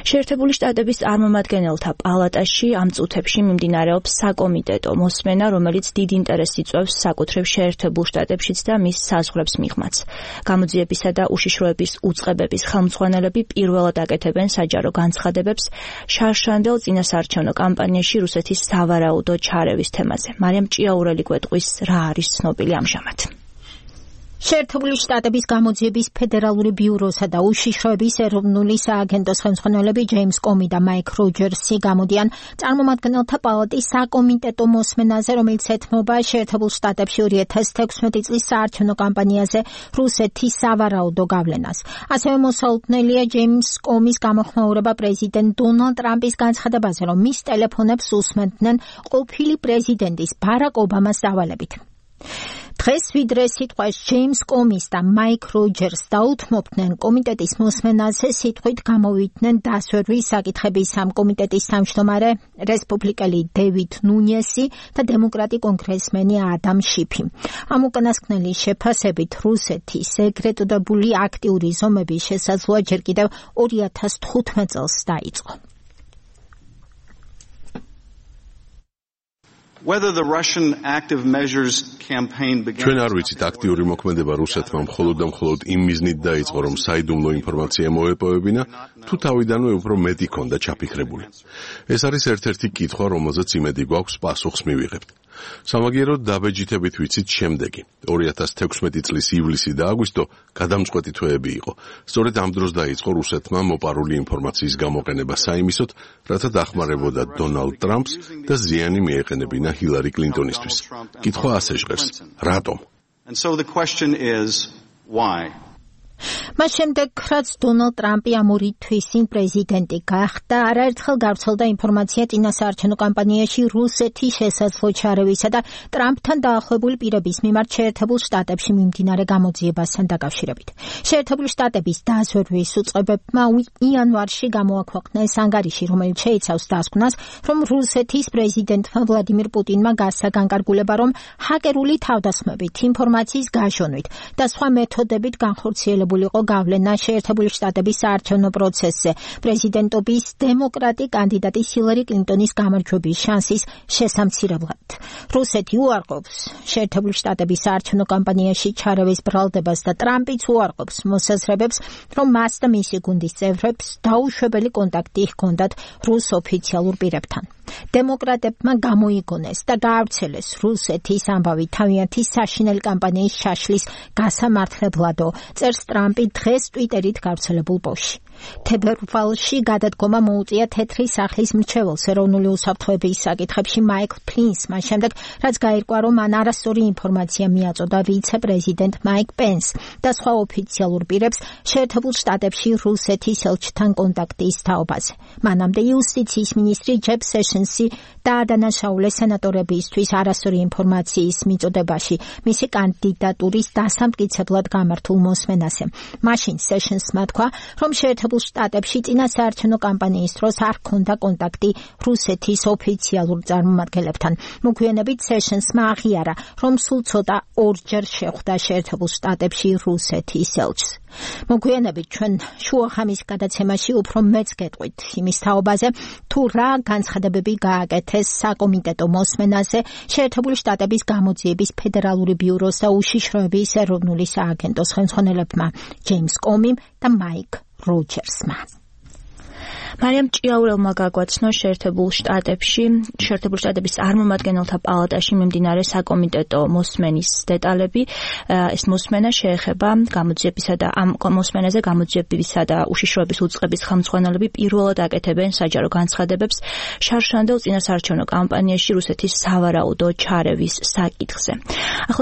შეერთებული შტატების წარმომადგენელთა პალატაში ამ წუთებში მიმდინარეობს საკომიტეტო მოსმენა, რომელიც დიდ ინტერესს იწვევს საკუთრივ შეერთებულ შტატებშიც და მის საზღვრებს მიღმაც. გამოძიებისა და უშიშროების უწყებების ხელმძღვანელები პირველად აკეთებენ საჯარო განცხადებებს შარშანდელ წინასაარჩევნო კამპანიაში რუსეთის სავარაუდო ჩარევის თემაზე. მარიამ ჭიაურელი გვეტყვის რა არის ცნობილი ამჟამად. შეერთებული შტატების გამოძიების ფედერალური ბიუროსა და უშიშროების ეროვნული სააგენტოს ხელმძღვანელები ჯეიმს კომი და მაიკ როჯერსი გამოდიან წარმომადგენელთა პალატის საკომიტეტო მოსმენაზე, რომელიც ეთმობა შეერთებულ შტატებში 2016 წლის საარჩევნო კამპანიაზე რუსეთის სავარაუდო გავლენას. ასევე მოსალოდნელია ჯეიმს კომის გამოხმაურება პრეზიდენტ დონალდ ტრამპის განცხადებაზე, რომ მის ტელეფონებს უსმენდნენ ყოფილი პრეზიდენტის ბარაკ ობამას დავალებით. დღეს ვიდრე სიტყვას ჯეიმს კომის და მაიკ როჯერს დაუთმობდნენ კომიტეტის მოსმენაზე, სიტყვით გამოვიდნენ დასვერვის საკითხების ამ კომიტეტის თავმჯდომარე რესპუბლიკელი დევიდ ნუნიესი და დემოკრატი კონგრესმენი ადამ შიფი. ამ უკანასკნელის შეფასებით რუსეთის ეგრედებული აქტიური ზომების შესაძლოა ჯერ კიდევ 2015 წელს დაიწყო. ჩვენ არ ვიცით აქტიური მოქმედება რუსეთმა მხოლოდ და მხოლოდ იმ მიზნით დაიწყო, რომ საიდუმლო ინფორმაცია მოეპოვებინა, თუ თავიდანვე უფრო მეტი ქონდა ჩაფიქრებული. ეს არის ერთ-ერთი კითხვა, რომელზეც იმედი გვაქვს პასუხს მივიღებთ. სამაგიეროდ დაბეჯითებით ვიცით შემდეგი. 2016 წლის ივლისი და აგვისტო გადამწყვეტი თვეები იყო. სწორედ ამ დროს დაიწყო რუსეთმა მოპარული ინფორმაციის გამოყენება საიმისოდ, რათა დახმარებოდა დონალდ ტრამპს და ზიანი მიეყენებინა ჰილარი კლინტონისთვის. კითხვა ასე ჟღერს: რატომ? მას შემდეგ, რაც დონალდ ტრამპი ამ 2 თვის წინ პრეზიდენტი გახდა, არაერთხელ გავრცელდა ინფორმაცია წინასაარჩევნო კამპანიაში რუსეთის შესაძლო ჩარევისა და ტრამპთან დაახლოებული პირების მიმართ შეერთებულ შტატებში მიმდინარე გამოძიებასთან დაკავშირებით. შეერთებული შტატების დასვერვის უწყებებმა იანვარში გამოაქვეყნეს ანგარიში, რომელიც შეიცავს დასკვნას, რომ რუსეთის პრეზიდენტმა ვლადიმირ პუტინმა გასცა განკარგულება, რომ ჰაკერული თავდასხმებით, ინფორმაციის გაშონვით და სხვა მეთოდებით განხორციელებული იყო გავლენა შეერთებული შტატების საარჩევნო პროცესზე პრეზიდენტობის დემოკრატი კანდიდატის ჰილარი კლინტონის გამარჯვების შანსის შესამცირებლად. რუსეთი უარყოფს შეერთებული შტატების საარჩევნო კამპანიაში ჩარევის ბრალდებას და ტრამპიც უარყოფს მოსაზრებებს, რომ მას და მისი გუნდის წევრებს დაუშვებელი კონტაქტი ჰქონდათ რუს ოფიციალურ პირებთან. დემოკრატებმა გამოიგონეს და გაავრცელეს რუსეთის ამბავი თავიანთი საშინელი კამპანიის შაშლის გასამართლებლადო, წერს ტრამპი დღეს ტვიტერით გავრცელებულ პოსტში. თებერვალში გადადგომა მოუწია თეთრი სახლის მრჩეველს ეროვნული უსაფრთხოების საკითხებში მაიკლ ფლინს, მას შემდეგ, რაც გაირკვა, რომ მან არასწორი ინფორმაცია მიაწოდა ვიცე-პრეზიდენტ მაიკ პენს და სხვა ოფიციალურ პირებს შეერთებულ შტატებში რუსეთის ელჩთან კონტაქტის თაობაზე. მანამდე იუსტიციის მინისტრი ჯეფ სეშენსი დაადანაშაულეს სენატორებისთვის არასწორი ინფორმაციის მიწოდებაში მისი კანდიდატურის დასამტკიცებლად გამართულ მოსმენაზე. მაშინ სეშენსმა თქვა, რომ შეერთებულ შტატებში წინასაარჩევნო კამპანიის დროს არ ჰქონდა კონტაქტი რუსეთის ოფიციალურ წარმომადგენლებთან. მოგვიანებით სეშენსმა აღიარა, რომ სულ ცოტა ორჯერ შეხვდა შეერთებულ შტატებში რუსეთის ელჩს. მოგვიანებით ჩვენ შუახამის გადაცემაში უფრო მეც გეტყვით იმის თაობაზე, თუ რა განცხადებები გააკეთეს საკომიტეტო მოსმენაზე შეერთებული შტატების გამოძიების ფედერალური ბიუროს და უშიშროების ეროვნული სააგენტოს ხელმძღვანელებმა ჯეიმს კომიმ და მაიკ როჯერსმა. მარიამ ჭიაურელმა გაგვაცნო შეერთებულ შტატების წარმომადგენელთა პალატაში მიმდინარე საკომიტეტო მოსმენის დეტალები. ეს მოსმენა შეეხება გამოძიებისა და ამ მოსმენაზე გამოძიებისა და უშიშროების უწყების ხელმძღვანელები პირველად აკეთებენ საჯარო განცხადებებს შარშანდელ წინასაარჩევნო კამპანიაში რუსეთის სავარაუდო ჩარევის საკითხზე.